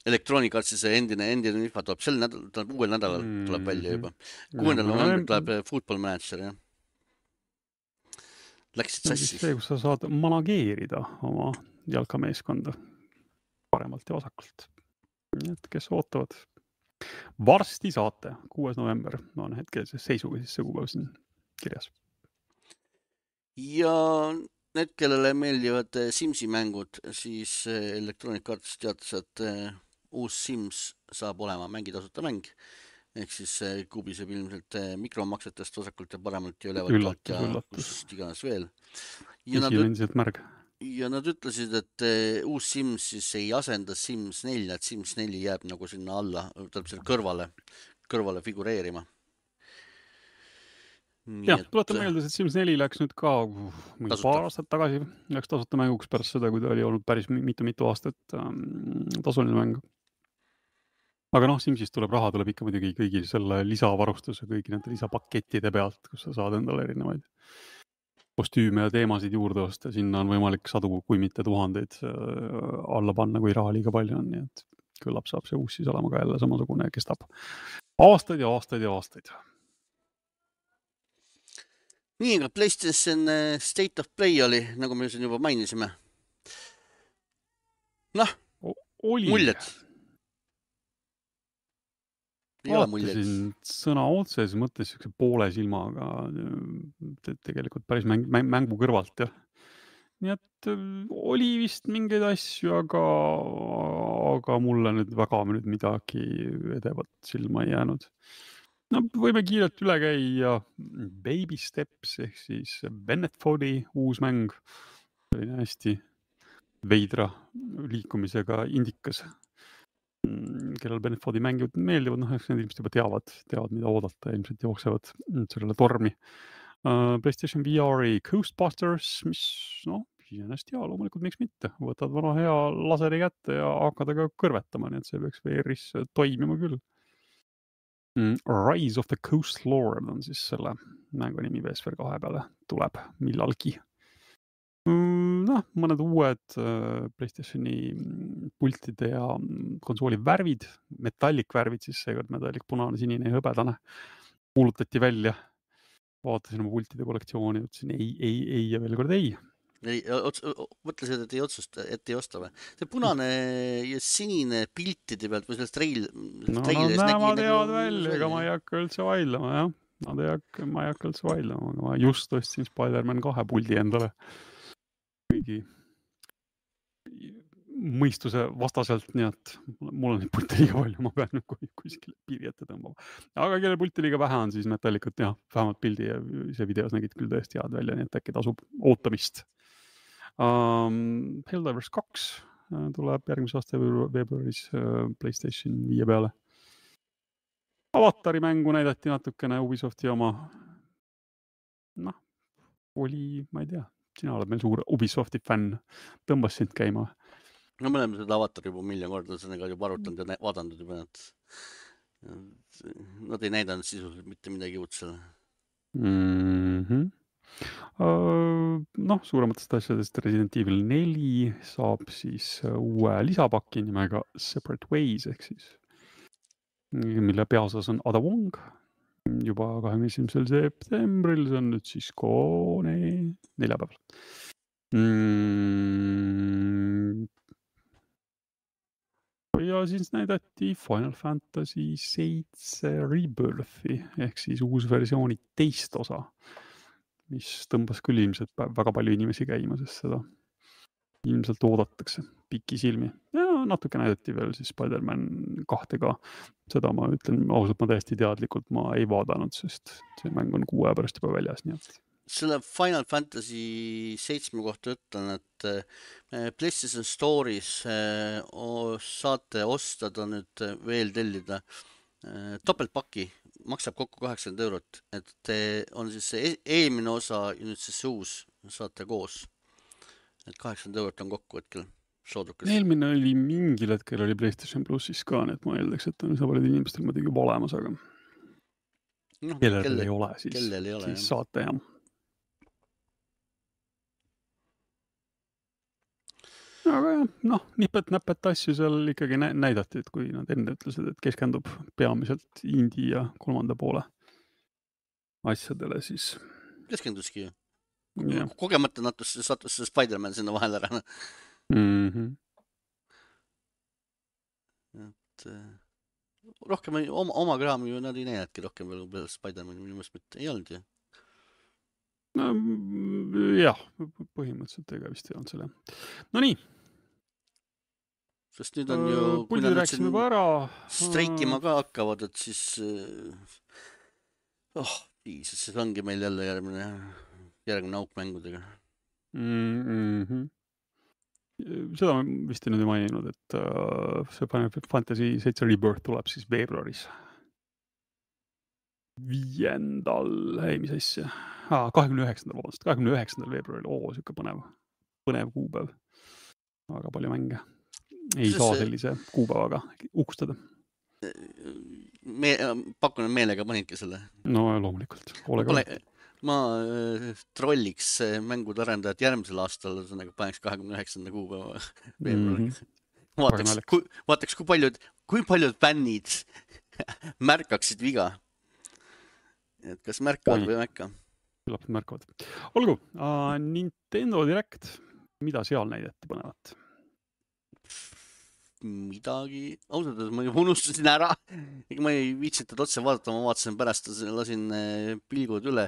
Electronic Artsi see endine, endine Wifa tuleb sel nädalal, tuleb uuel nädalal tuleb välja juba. kuuendal novembril tuleb Football Manager, jah. Läksid sassi. See, kus sa saad manageerida oma jalkameeskonda paremalt ja vasakult. Nii et kes ootavad. Varsti saate, kuues november on hetkel seisuga siis see kuupäev siin kirjas. Ja need, kellele meeldivad Simsi mängud, siis Electronic Arts teatas, et uus Sims saab olema mängitasuta mäng. Ehk siis kubiseb ilmselt mikromaksetest vasakult ja paremalt ja ülevalt ja kust iganes veel. Ja nad, üt... märg. ja nad ütlesid, et uus Sims siis ei asenda Sims neli, et Sims neli jääb nagu sinna alla, tuleb selle kõrvale, kõrvale figureerima. Jah, tuletan meelde, et Sims neli läks nüüd ka mingi paar aastat tagasi, läks tasuta mänguks pärast seda, kui ta oli olnud päris mitu-mitu aastat ähm, tasuline mäng. Aga noh, Simsist tuleb raha, tuleb ikka muidugi kõigi selle lisavarustuse, kõigi nende lisapakettide pealt, kus sa saad endale erinevaid kostüüme ja teemasid juurde osta. Sinna on võimalik sadu, kui mitte tuhandeid alla panna, kui raha liiga palju on. Nii et küllap saab see uus siis olema ka jälle samasugune, kestab aastaid ja aastaid ja aastaid. Nii, aga PlayStation State of Play oli, nagu me siin juba mainisime. Noh, oli. Muljed. Vaatasin sõna otses mõttes poole silmaga tegelikult päris mäng, mängu kõrvalt. Ja. Nii et oli vist mingeid asju, aga, aga mulle nüüd väga nüüd midagi edevat silma ei jäänud. No, võime kiirelt üle käia Baby Steps ehk siis Bennett Foddy uus mäng. Selline hästi veidra liikumisega indikas. Kellel Bennett Foddy mängijad meeldivad, noh, eks need ilmselt juba teavad, teavad, mida oodata, ilmselt jooksevad sellele tormi. Uh, PlayStation V R-i Coastbusters, mis, noh, ennast ja loomulikult miks mitte. Võtad vana hea laseri kätte ja hakkad aga kõrvetama, nii et see peaks V R-is toimima küll. Mm, Rise of the Coast Lord on siis selle mängu nimi P S V R kahe peale tuleb millalgi. Noh, mõned uued PlayStationi pultide ja konsooli värvid, metallic värvid, siis seekord metallic punane, sinine ja hõbedane kuulutati välja. Vaatasin oma pultide kollektsiooni, ütlesin ei, ei, ei ja veel kord ei. ei ots, mõtlesid, et ei otsusta, et ei osta või? See punane ja sinine piltide pealt või sellest treil... No nad näevad head välja, ega ma ei hakka üldse vaidlema, jah. Nad ei hakka, ma ei hakka üldse vaidlema, aga ma just ostsin Spider-Man kahe puldi endale. Kuigi mõistuse vastaselt, nii et mul on neid pulte liiga palju, ma pean nüüd kuskile piiri ette tõmbama. Aga kelle pulte liiga vähe on, siis metallicut, jah, vähemalt pildi ja see videos nägid küll tõesti head välja, nii et äkki tasub ootamist. Um, Helldivers kaks tuleb järgmise aasta veebruaris uh, PlayStation viie peale. Avatari mängu näidati natukene Ubisofti oma. Noh, oli, ma ei tea. Sina oled meil suur Ubisofti fänn, tõmbas sind käima. No me oleme seda Avatar juba miljon korda, sellega juba arutanud ja vaadanud juba, et nad ei näidanud sisuliselt mitte midagi uut selle. Mm-hmm. Uh, noh, suurematest asjadest Resident Evil neli saab siis uue lisapaki nimega Separate Ways, ehk siis mille peaosas on Ada Wong. Juba kahekümne esimesel septembril, see on nüüd siis koone neljapäeval. Mm. Ja siis näidati Final Fantasy seitse Rebirthi, ehk siis uus versiooni teist osa, mis tõmbas küll ilmselt väga palju inimesi käima, sest seda ilmselt oodatakse pikki silmi. Ja natuke näidati veel siis Spider-Man kahtega. Seda ma ütlen ausalt, ma täiesti teadlikult ma ei vaadanud, sest see mäng on kuu aja pärast juba väljas. Nii et... Selle Final Fantasy seitsme kohta ütlen, et PlayStation Store'is saate ostada nüüd veel tellida topeltpaki maksab kokku kaheksakümmend eurot, et on siis see eelmine osa ja nüüd siis see uus saate koos. Et kaheksakümmend eurot on kokku hetkel soodukas. Eelmine oli mingil hetkel oli PlayStation Plussis ka, nii et ma eeldaks, et on üsna paljud inimestel muidugi juba olemas, aga no, kellel kelle, ei ole, siis, kellel ei ole, siis saate jah. Aga jah, noh, nipet-näpet asju seal ikkagi näidati, et kui nad enne ütlesid, et keskendub peamiselt indie ja kolmanda poole asjadele, siis keskenduski ju. Yeah. Kogemata natus, sattus see Spider-Man sinna vahel ära. Mm-hmm. Et rohkem oma, oma kraami ju nad ei näidadki rohkem veel Spider-Man minu mõttes mitte ei olnud ju. No, jah, põhimõtteliselt ega vist ei olnud selle. No nii. Sest nüüd on ju, kui nad nüüd siin streikima ka hakkavad, et siis oh, piisas, siis ongi meil jälle järgmine, järgmine auk mängudega. Mm-hmm. Seda ma vist ei nüüd ei maininud, et uh, see Final Fantasy seitse Rebirth tuleb siis veebruaris. Viiendal, ei, mis asja? Ah, kahekümne üheksandal, vabandust, kahekümne üheksandal veebruaril. Oo, siuke põnev, põnev kuupäev. Väga palju mänge. Ei Sest saa sellise kuupäevaga ukustada. Me, pakun, meelega panidki selle. No loomulikult. Ma, pole, ma trolliks mängude arendajat järgmisel aastal, nagu paneks kahekümne üheksanda kuupäeva veebruari. Mm-hmm. Vaataks, kui, vaataks, kui paljud, kui paljud fännid märkaksid viga. Et kas märkavad Oi. või märka? Küllap märkavad. Olgu, uh, Nintendo Direct, mida seal näidati põnevat? Midagi, ausalt, ma unustasin ära. Ega ma ei viitsitud otse vaadata, ma vaatasin pärast, lasin pilgud üle.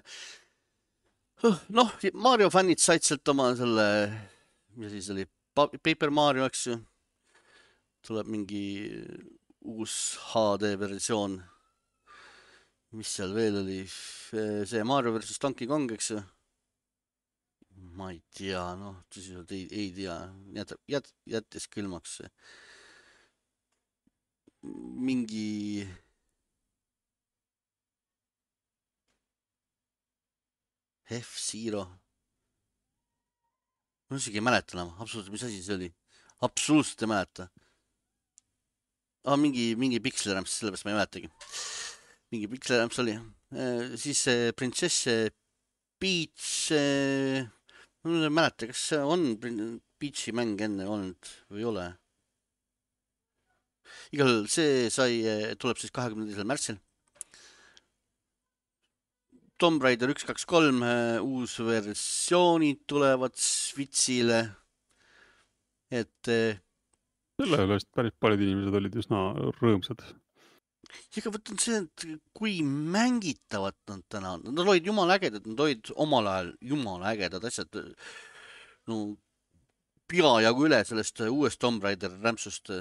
Noh, Mario fännid said sealt oma selle, mis siis oli, Paper Mario, eks ju. Tuleb mingi uus H D versioon. Mis seal veel oli? See Mario versus Donkey Kong, eks ju? Ma ei tea, noh, tõsiselt ei, ei tea. Jät, jät, jättis külmaks see. Mingi F-Zero. Ma isegi ei mäleta enam, absoluutselt, mis asi see oli. Absoluutselt ei mäleta. Ah, mingi, mingi Pixel-Ramps, sellepärast ma ei mäletagi. Mingi Pixel-Ramps oli. E, siis Princess Peach. E, ma ei mäleta, kas see on Peachi mäng enne olnud või ei ole. Igal see sai, tuleb siis kahekümne teisel märtsil. Tomb Raider üks kaks kolm uus versioonid tulevad Switchile. Et selle üle päris paljud inimesed olid üsna rõõmsad. Ega võtan see, et kui mängitavad nad täna, nad olid jumala ägedad, nad olid omal ajal jumala ägedad asjad. No, peajagu üle sellest uuest Tomb Raider rämpsust.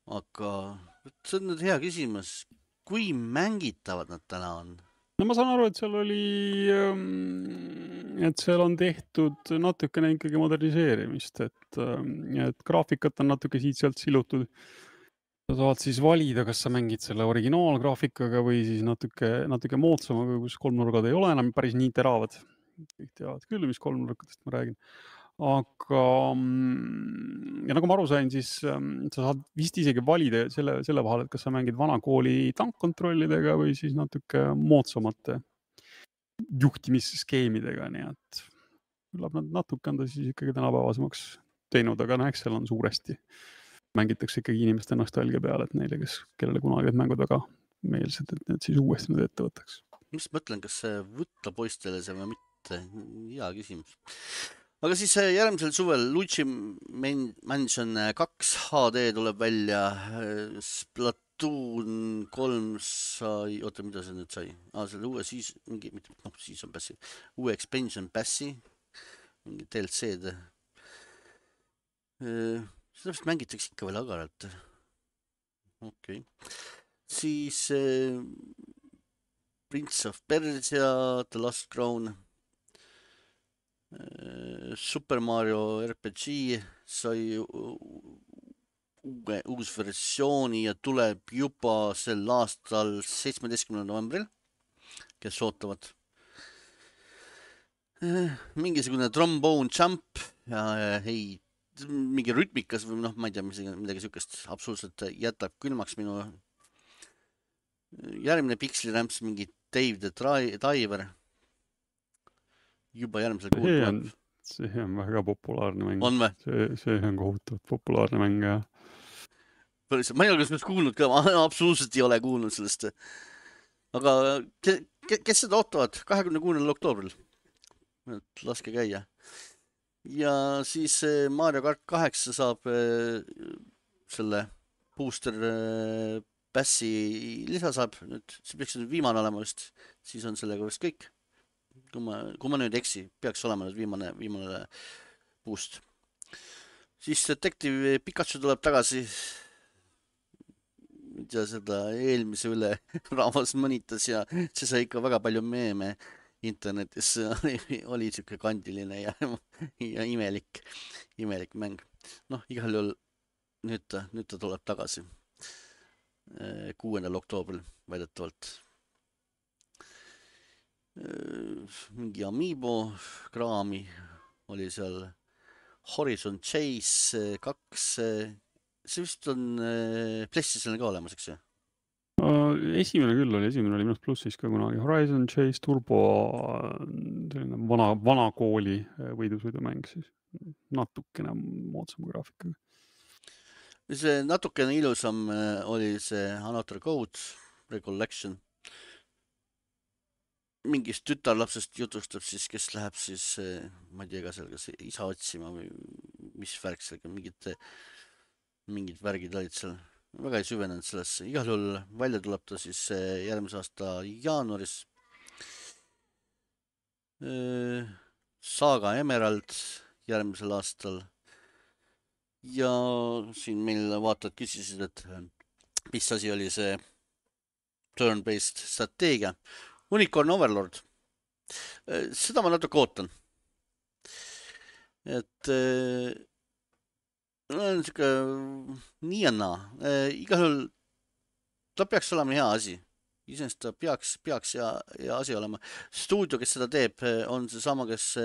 Aga see on nüüd hea küsimus. Kui mängitavad nad täna on? No ma saan aru, et seal oli, et seal on tehtud natukene ikkagi moderniseerimist, et, et graafikat on natuke siit-sealt silutud. Sa saad siis valida, kas sa mängid selle originaalgraafikaga või siis natuke, natuke moodsamaga, kus kolmnurgad ei ole enam päris nii teravad. Kõik teavad küll, mis kolmnurkadest ma räägin. Aga ja nagu ma aru sain, siis sa saad vist isegi valida selle, selle vahel, et kas sa mängid vana kooli tankkontrollidega või siis natuke moodsamate juhtimisskeemidega, nii et küllap nad natuke on ta siis ikkagi tänapäevasemaks teinud, aga no eks seal on suuresti. Mängitakse ikkagi inimeste nostalgia peale, et neile, kes, kellele kunagi need mängud väga meelsed, et need siis uuesti nüüd ette võtaks. Mis mõtlen, kas see võtta poistele see või mitte? Hea küsimus. Aga siis järgmisel suvel Luigi Mansion kaks H D tuleb välja, Splatoon kolm sai, oota, mida see nüüd sai? Ah, selle uue siis, mingi, noh, siis on passi, uue expansion passi, mingi D L C-d. Seda vist mängitakse ikka veel agaralt. Okei. Okay. Siis äh, Prince of Persia, The Last Crown, Super Mario R P G sai uue, uus versiooni ja tuleb juba sel aastal seitsmeteistkümnendal novembril, kes ootavad. Mingisugune trombone jump ja ei, mingi rütmikas või noh, ma ei tea, midagi sükest absoluutselt jätab külmaks minu. Järgmine Pixel-rämps, mingi Dave the Diver. Juba järgmisel kuul tuleb. See on väga populaarne mäng. On või? See, see on kohutavalt populaarne mäng, jah. Ma ei ole kas kuulnud ka, ma absoluutselt ei ole kuulnud sellest. Aga kes, kes seda ootavad? kahekümne kuuendal oktoobril. Laske käia. Ja siis Mario Kart kaheksa saab selle booster Passi lisa saab. Nüüd, see peaks viimane olema vist. Siis on sellega vist kõik. Kui ma, kui ma nüüd eksi, peaks olema nüüd viimane, viimane boost. Siis Detective Pikachu tuleb tagasi. Ja seda eelmise üle rahvas mõnitas ja see sai ikka väga palju meeme internetis. Oli siuke kandiline ja, ja imelik, imelik mäng. Noh, igal juhul nüüd ta, nüüd ta tuleb tagasi. kuuendal oktoobril väidetavalt. Mingi Amiibo kraami oli seal. Horizon Chase kaks. See vist on PlayStationil ka olemas, eks ju? Esimene küll oli, esimene oli minust plussis ka kunagi. Horizon Chase Turbo, selline vana, vana kooli võidusõidumäng siis. Natukene moodsam graafikaga. See natukene ilusam oli see Another Code Recollection. Mingist tütarlapsest jutustab siis, kes läheb siis, ma ei tea ka seal, kas isa otsima või mis värk sellega, mingid, mingid värgid olid seal. Väga ei süvenenud sellesse. Igal juhul välja tuleb ta siis järgmise aasta jaanuaris. Saga Emerald järgmisel aastal. Ja siin meil vaatajad küsisid, et mis asi oli see turn-based strateegia. Unicorn Overlord. Seda ma natuke ootan. Et no, on siuke nii ja naa. Igal juhul ta peaks olema hea asi. Iseenesest ta peaks, peaks hea, hea asi olema. Stuudio, kes seda teeb, on see sama, kes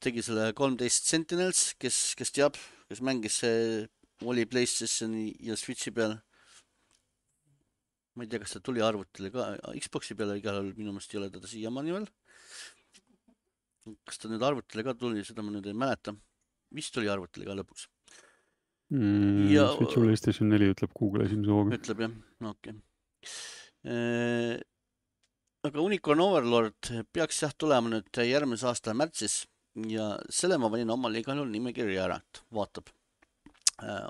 tegi selle kolmteist Sentinels, kes, kes teab, kes mängis, oli PlayStationi ja Switchi peal. Ma ei tea, kas ta tuli arvutile ka. Xboxi peale igal juhul minu meelest ei ole teda siiamaani veel. Kas ta nüüd arvutile ka tuli, seda ma nüüd ei mäleta. Vist tuli arvutile ka lõpuks. Mm, ja, Switch PlayStation neli ütleb Google esimese hooga. Ütleb jah, no okei. Okay. Aga Unicorn Overlord peaks jah tulema nüüd järgmise aasta märtsis ja selle ma panin omal igal juhul nimekirja ära, et vaatab.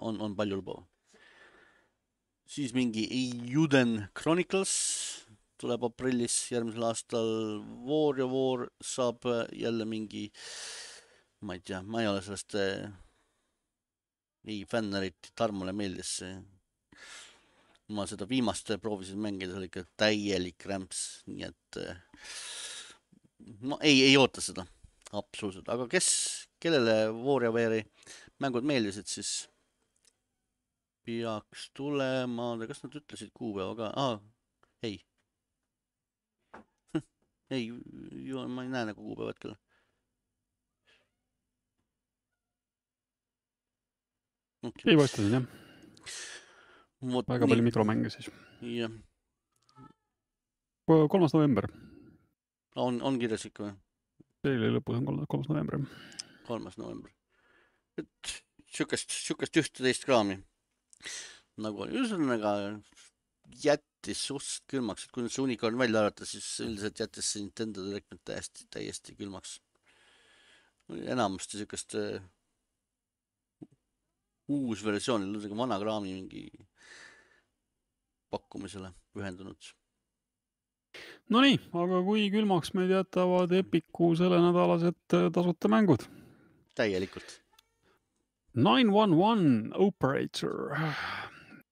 On, on palju lubav. Siis mingi Eiyuden Chronicles tuleb aprillis järgmisel aastal. War ja War saab jälle mingi, ma ei tea, ma ei ole sellest ei fännerit, Tarmole meeldis see. Ma seda viimast proovisin mängida, see oli ikka täielik rämps, nii et ma ei, ei oota seda, absoluutselt. Aga kes, kellele WarioWare'i mängud meeldisid, siis peaks tulema, kas nad ütlesid kuupäeva ka? Ah, ei. ei, ma ei näe nagu kuupäevad küll. Okay. Ei vastasin, jah. Võt, väga nii. Palju mikromänge siis. Jah. kolmas november. On, on kirjas ikka või? Teile lõpus on kolmas november. kolmas november. Et sükest, sükest ühteteist kraami. Nagu üsnaga jättis suhteliselt külmaks, et kui nüüd see Unicorn välja arvata, siis üldiselt jättis see Nintendo Direct täiesti, täiesti külmaks. Enamasti sükest uus versioon, vana kraami mingi pakkumisele pühendunud. No nii, aga kui külmaks meid jätavad Epiku selle nädalased tasuta mängud? Täielikult. nine one one Operator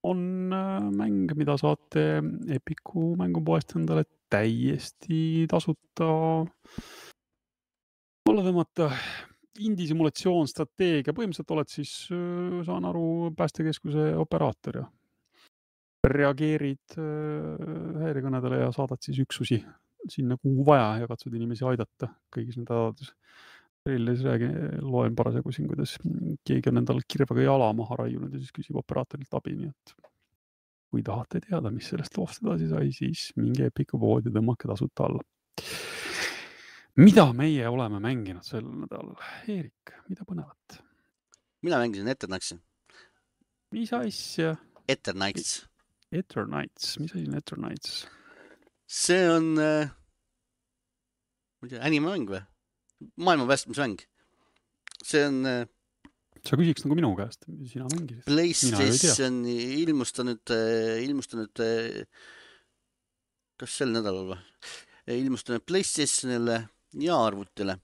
on mäng, mida saate Epiku mängupoest endale täiesti tasuta alla tõmmata. indie simulatsioon, strateegia, põhimõtteliselt oled siis, saan aru, päästekeskuse operaator ja reageerid häirekõnedele ja saadad siis üksusi sinna kuhu vaja ja katsud inimesi aidata kõigis nende adades. Treilis räägi, loen parasjagu siin, kuidas keegi on endal kirvaga jala maha raiunud ja siis küsib operaatorilt abi, nii et kui tahate teada, mis sellest loost edasi sai, siis minge Epiku poodi, tõmmake tasuta alla. Mida meie oleme mänginud sel nädalal? Eerik, mida põnevat? Mina mängisin Eternights. Mis asja? Eternights. Eternights, mis asi on Eternights? See on äh, animemäng või? Maailma päästmismäng. See on äh, sa küsiks nagu minu käest, sina mängisid. PlayStation ilmustanud, ilmustanud kas sel nädalal või? Ilmustanud PlayStationile ja arvutile.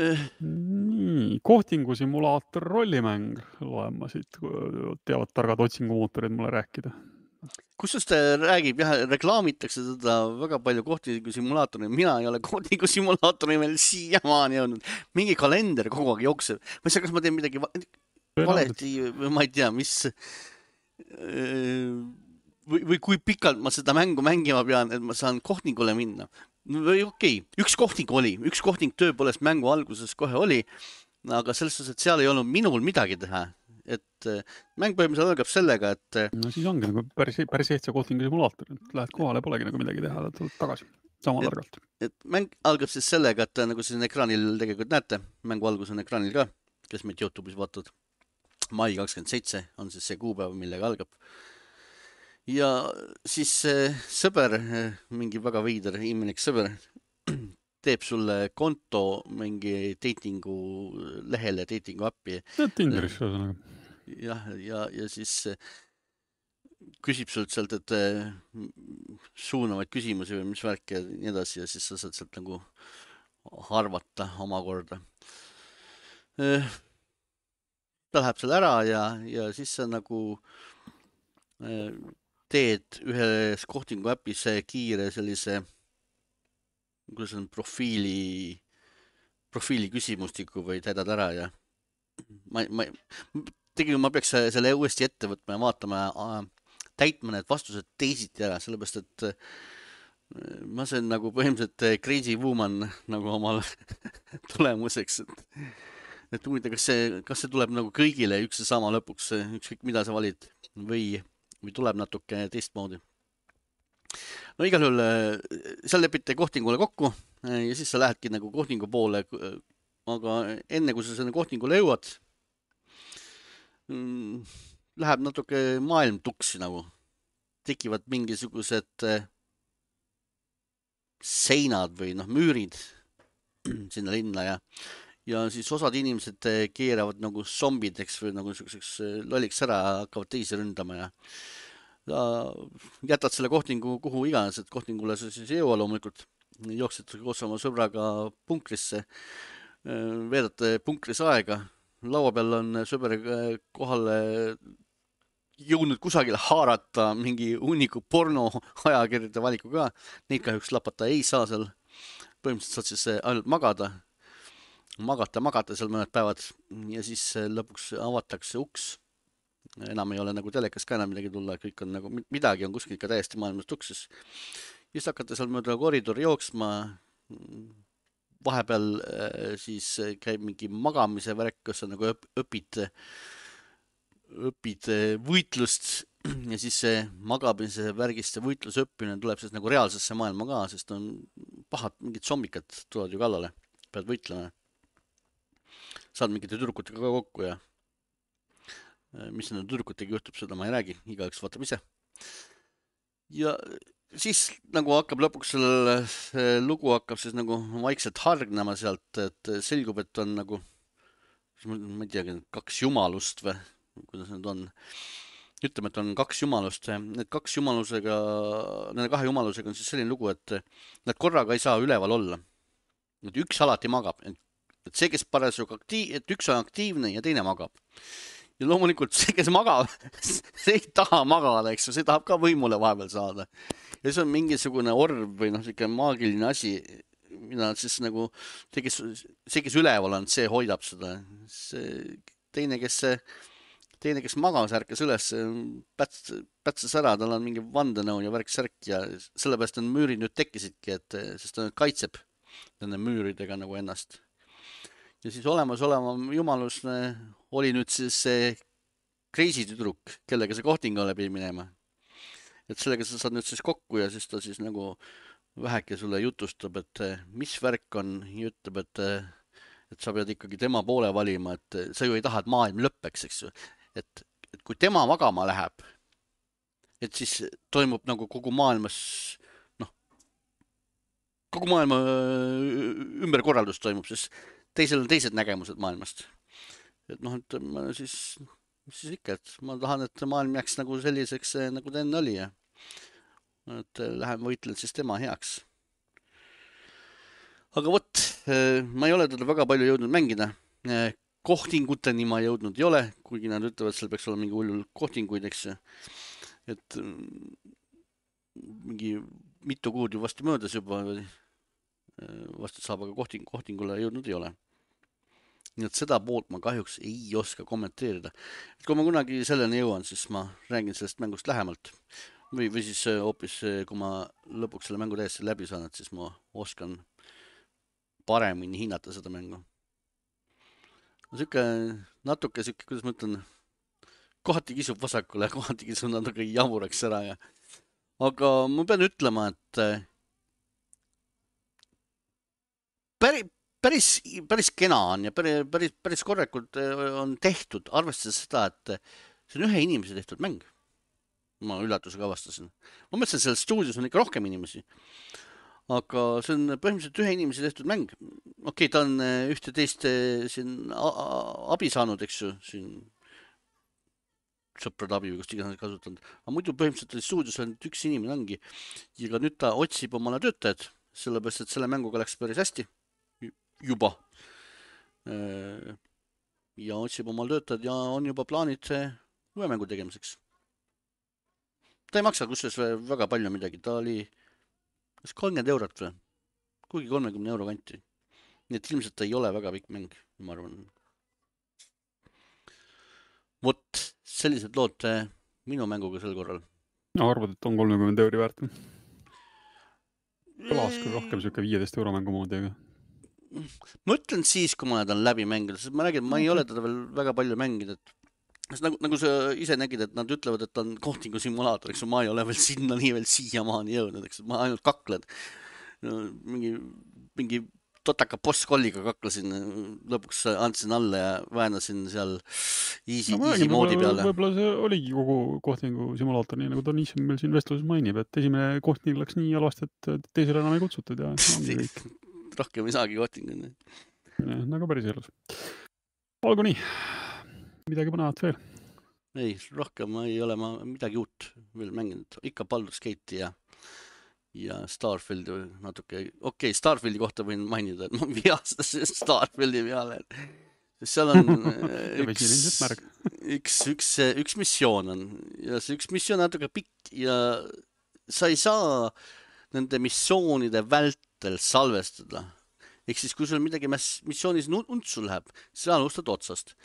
Nii, kohtingu simulaator rollimäng loen ma siit, teavad targad otsingumootorid mulle rääkida. Kusjuures ta räägib, jah, reklaamitakse seda väga palju kohtingu simulaatori. Mina ei ole kohtingu simulaatori veel siiamaani jõudnud. Mingi kalender kogu aeg jookseb. Ma ei saa, kas ma teen midagi valeti, ma ei tea, mis või, või kui pikalt ma seda mängu mängima pean, et ma saan kohtingule minna. Või okei, okay. üks kohting oli, üks kohting tõepoolest mängu alguses kohe oli, aga selles suhtes, et seal ei olnud minul midagi teha. Et mäng põhimõtteliselt algab sellega, et no siis ongi nagu päris, päris ehtsa kohtingu simulaator. Lähed kohale, polegi nagu midagi teha, tuled tagasi sama targalt. Et mäng algab siis sellega, et nagu siin ekraanil tegelikult näete, mängu algus on ekraanil ka, kes meid YouTube'is vaatavad. mai kakskümmend seitse on siis see kuupäev, millega algab. Ja siis sõber, mingi väga veider, imelik sõber, teeb sulle konto mingi datingu lehele, datingu appi. Tinderis, ühesõnaga. jah, ja, ja siis küsib sult sealt, et suunavaid küsimusi või mis värk ja nii edasi ja siis sa saad sealt nagu arvata omakorda. Ta läheb seal ära ja, ja siis sa nagu teed ühes kohtingu äpis kiire sellise kuidas on profiili profiili küsimustiku või täidad ära ja ma, ma, tegelikult ma peaks selle uuesti ette võtma ja vaatama täitma need vastused teisiti ära, sellepärast et ma sain nagu põhimõtteliselt crazy woman nagu omal tulemuseks, et, et huvita, kas see, kas see tuleb nagu kõigile üks ja sama lõpuks, ükskõik mida sa valid või, või tuleb natuke teistmoodi. No igal juhul seal lepite kohtingule kokku ja siis sa lähedki nagu kohtingu poole, aga enne kui sa selle kohtingule jõuad, läheb natuke maailm tuksi nagu. Tekivad mingisugused seinad või noh, müürid sinna linna ja, ja siis osad inimesed keeravad nagu zombideks või nagu niisuguseks lolliks ära, hakkavad teisi ründama ja jätad selle kohtingu kuhu iganes, et kohtingule sa siis ei jõua loomulikult. Jooksed koos oma sõbraga punkrisse, veedate punkris aega. Laua peal on sõber kohale jõudnud kusagile haarata mingi hunniku porno ajakirjade valiku ka. Neid kahjuks lapata ei saa seal. Põhimõtteliselt saad siis ainult magada. Magata, magata seal mõned päevad ja siis lõpuks avatakse uks. Enam ei ole nagu telekas ka enam midagi tulla, kõik on nagu midagi on kuskil ikka täiesti maailmas tuksis. Just hakkate seal mööda koridori jooksma, vahepeal siis käib mingi magamise värk, kus sa nagu õpid, õpid võitlust ja siis see magamise värgist ja võitluse õppimine tuleb siis nagu reaalsesse maailma ka, sest on pahad mingid zombikad tulevad ju kallale, pead võitlema. Saad mingite tüdrukutega ka kokku ja mis nende tüdrukutega juhtub, seda ma ei räägi, igaüks vaatab ise. Ja siis nagu hakkab lõpuks selle lugu hakkab siis nagu vaikselt hargnema sealt, et selgub, et on nagu, ma ei tea, kaks jumalust või kuidas need on. Ütleme, et on kaks jumalust. Need kaks jumalusega, nende kahe jumalusega on siis selline lugu, et nad korraga ei saa üleval olla. Et üks alati magab. Et see, kes parasjagu aktiiv, et üks on aktiivne ja teine magab. Ja loomulikult see, kes magab, see ei taha magada, eks ju, see tahab ka võimule vahepeal saada. Ja see on mingisugune orb või noh, selline maagiline asi mina siis nagu, see, kes, see, kes üleval on, see hoidab seda. See teine, kes see, teine, kes magas, ärkas üles, päts, pätses ära, tal on mingi vandenõu ja värk särk ja sellepärast on müürid nüüd tekkisidki, et sest ta kaitseb nende müüridega nagu ennast. Ja siis olemas olema jumalus oli nüüd siis see crazy tüdruk, kellega see kohting läbi minema. Et sellega sa saad nüüd siis kokku ja siis ta siis nagu väheke sulle jutustab, et mis värk on ja ütleb, et, et sa pead ikkagi tema poole valima, et sa ju ei taha, et maailm lõppeks, eks ju. Et, et kui tema magama läheb, et siis toimub nagu kogu maailmas, noh, kogu maailma ümberkorraldus toimub, sest teisel on teised nägemused maailmast. Et noh, et ma siis, mis siis ikka, et ma tahan, et maailm jääks nagu selliseks, nagu ta enne oli ja et lähen võitlen siis tema heaks. Aga võt, ma ei ole teda väga palju jõudnud mängida. Kohtinguteni ma jõudnud ei ole, kuigi nad ütlevad, et seal peaks olla mingi hullul kohtinguid, eks. Et mingi mitu kuud ju vastu möödas juba, vastu saab, aga kohting, kohtingule jõudnud ei ole. Nii et seda poolt ma kahjuks ei oska kommenteerida. Et kui ma kunagi selleni jõuan, siis ma räägin sellest mängust lähemalt. Või, või siis hoopis, kui ma lõpuks selle mängu täiesti läbi saan, et siis ma oskan paremini hinnata seda mängu. Süüke natuke süüke, kuidas ma ütlen, kohati kisub vasakule, kohati kisub natuke jamuraks ära. Ja. Aga ma pean ütlema, et päris, päris, päris kena on ja päris, päris, päris korrekult on tehtud, arvestades seda, et see on ühe inimese tehtud mäng. Ma üllatusega avastasin. Ma mõtlesin, et selles stuudios on ikka rohkem inimesi. Aga see on põhimõtteliselt ühe inimese tehtud mäng. Okei, ta on ühte teist siin abi saanud, eks ju, siin sõprad abi või kust iganes kasutanud. Aga muidu põhimõtteliselt stuudios on üks inimene ongi. Ja ka nüüd ta otsib omale töötajad, sellepärast, et selle mänguga läks päris hästi. Juba. Ja otsib omale töötajad ja on juba plaanid uue mängu tegemiseks. Ta ei maksa kusjuures väga palju midagi, ta oli kas kolmkümmend eurot või, kuigi kolmekümne euro kanti. Nii et ilmselt ta ei ole väga pikk mäng, ma arvan. Vot, sellised lood minu mänguga sel korral. No arvad, et on kolmekümmend euri väärt? Kõlas küll rohkem siuke viieteist euro mängu moodi, aga... Ma ütlen siis, kui ma olen läbi mängida, sest ma räägin, ma ei ole teda veel väga palju mängida, et Nagu, nagu sa ise nägid, et nad ütlevad, et on kohtingu simulaator, eks ma ei ole veel sinna nii veel siiamaani jõudnud, eks ma ainult kaklen. No, mingi, mingi totaka boss-kolliga kaklasin, lõpuks andsin alla ja väänasin seal easy, no, easy moodi peale. Võib-olla see oligi kogu kohtingu simulaator, nii nagu Donissium meil siin vestluses mainib, et esimene kohting läks nii halvasti, et teisele enam ei kutsutud ja ongi kõik. Rohkem ei saagi kohtingu. Nagu päris elus. Olgu nii. Midagi põnevat veel? Ei, rohkem ei ole ma midagi uut veel mänginud. Ikka Baldur's Gate ja, ja Starfieldi natuke. Okei, okay, Starfieldi kohta võin mainida, et ma vihastasin Starfieldi peale. Seal on üks, üks, üks, üks missioon on ja see üks missioon natuke pikk ja sa ei saa nende missioonide vältel salvestada. Ehk siis, kui sul midagi missioonis untsu läheb, siis alustad otsast.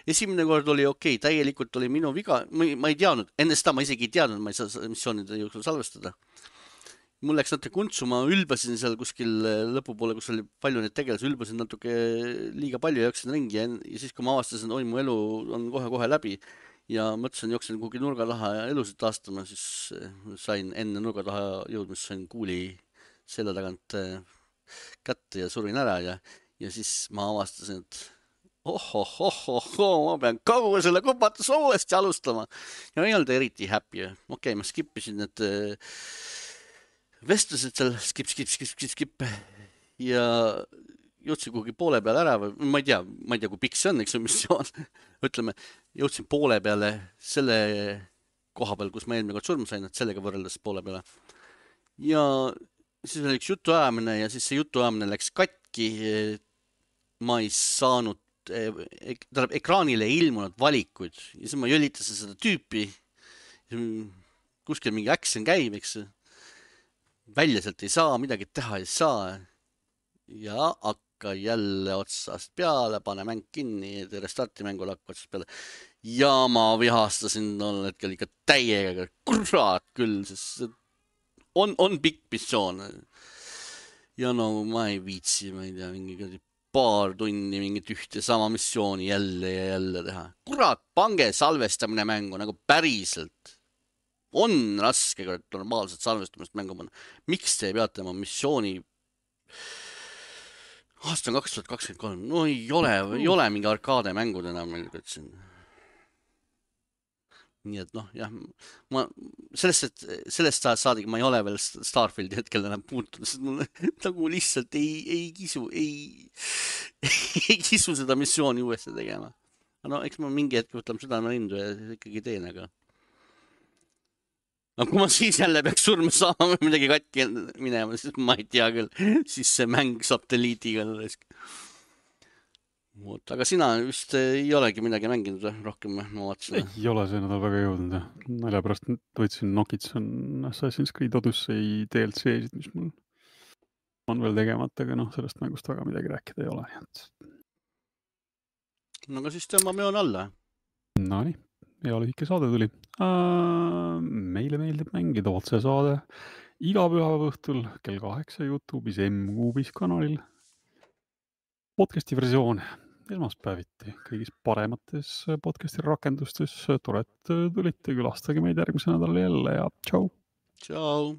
Esimene kord oli okei, okay, täielikult oli minu viga, ma ei teadnud, enne seda ma isegi ei teadnud, ma ei saa missioonide jooksul salvestada. Mul läks natuke untsu, ma ülbasin seal kuskil lõpupoole, kus oli palju neid tegelasi, ülbasin natuke liiga palju ja jooksin ringi ja, ja siis, kui ma avastasin, oi, mu elu on kohe-kohe läbi ja mõtlesin, jooksin kuhugi nurga taha ja elusid taastama, siis sain enne nurga taha jõudmist, sain kuuli selle tagant kätte ja surin ära ja, ja siis ma avastasin, et ohohohoho, ma pean kogu selle kupatus uuesti alustama. Ja ma ei olnud eriti happy. Okei, okay, ma skippisin need vestlused seal, skip, skip, skip, skip, skip ja jõudsin kuhugi poole peale ära või ma ei tea, ma ei tea, kui pikk see on, eks see missioon. Ütleme, jõudsin poole peale selle koha peal, kus ma eelmine kord surma sain, et sellega võrreldes poole peale. Ja siis oli üks jutuajamine ja siis see jutuajamine läks katki. Ma ei saanud, tähendab, ekraanile ei ilmunud valikuid ja siis ma jölitasin seda tüüpi. Kuskil mingi action käib, eks. Välja sealt ei saa, midagi teha ei saa. ja hakka jälle otsast peale, pane mäng kinni, restarti mängul hakka otsast peale. Ja ma vihastasin tol hetkel ikka täiega, kurat küll, sest on, on pikk missioon. Ja no ma ei viitsi, ma ei tea, mingi paar tunni mingit ühte sama missiooni jälle ja jälle teha. Kurat, pange salvestamine mängu nagu päriselt. On raske normaalselt salvestamist mängu panna. Miks te peate oma missiooni aasta on kaks tuhat kakskümmend kolm, no ei ole, ei ole mingi arkaade mängud enam meil siin. Nii et noh, jah, ma sellest, et sellest saadik ma ei ole veel Starfieldi hetkel enam puutunud, sest mul nagu lihtsalt ei, ei kisu, ei, ei kisu seda missiooni uuesti tegema. No eks ma mingi hetk võtan südame lindu ja ikkagi teen, aga no kui ma siis jälle peaks surma saama või midagi katki minema, siis ma ei tea küll, siis see mäng satelliitiga lõsk. Aga sina vist ei olegi midagi mänginud rohkem, ma vaatasin. Ei ole see nädal väga jõudnud. Nalja pärast võtsin Nokitson Assassin's Creed Odyssey D L C-sid, mis mul on veel tegemata, aga noh, sellest mängust väga midagi rääkida ei ole. No aga siis tõmbame joon alla. No nii, hea lühike saade tuli. Uh, meile meeldib mängida otse saade iga pühapäeva õhtul kell kaheksa YouTube'is M-Kuubis kanalil. Podcasti versioon esmaspäeviti kõigis paremates podcasti rakendustes. Tore, et tulite, külastage meid järgmise nädal jälle ja tšau! Tšau!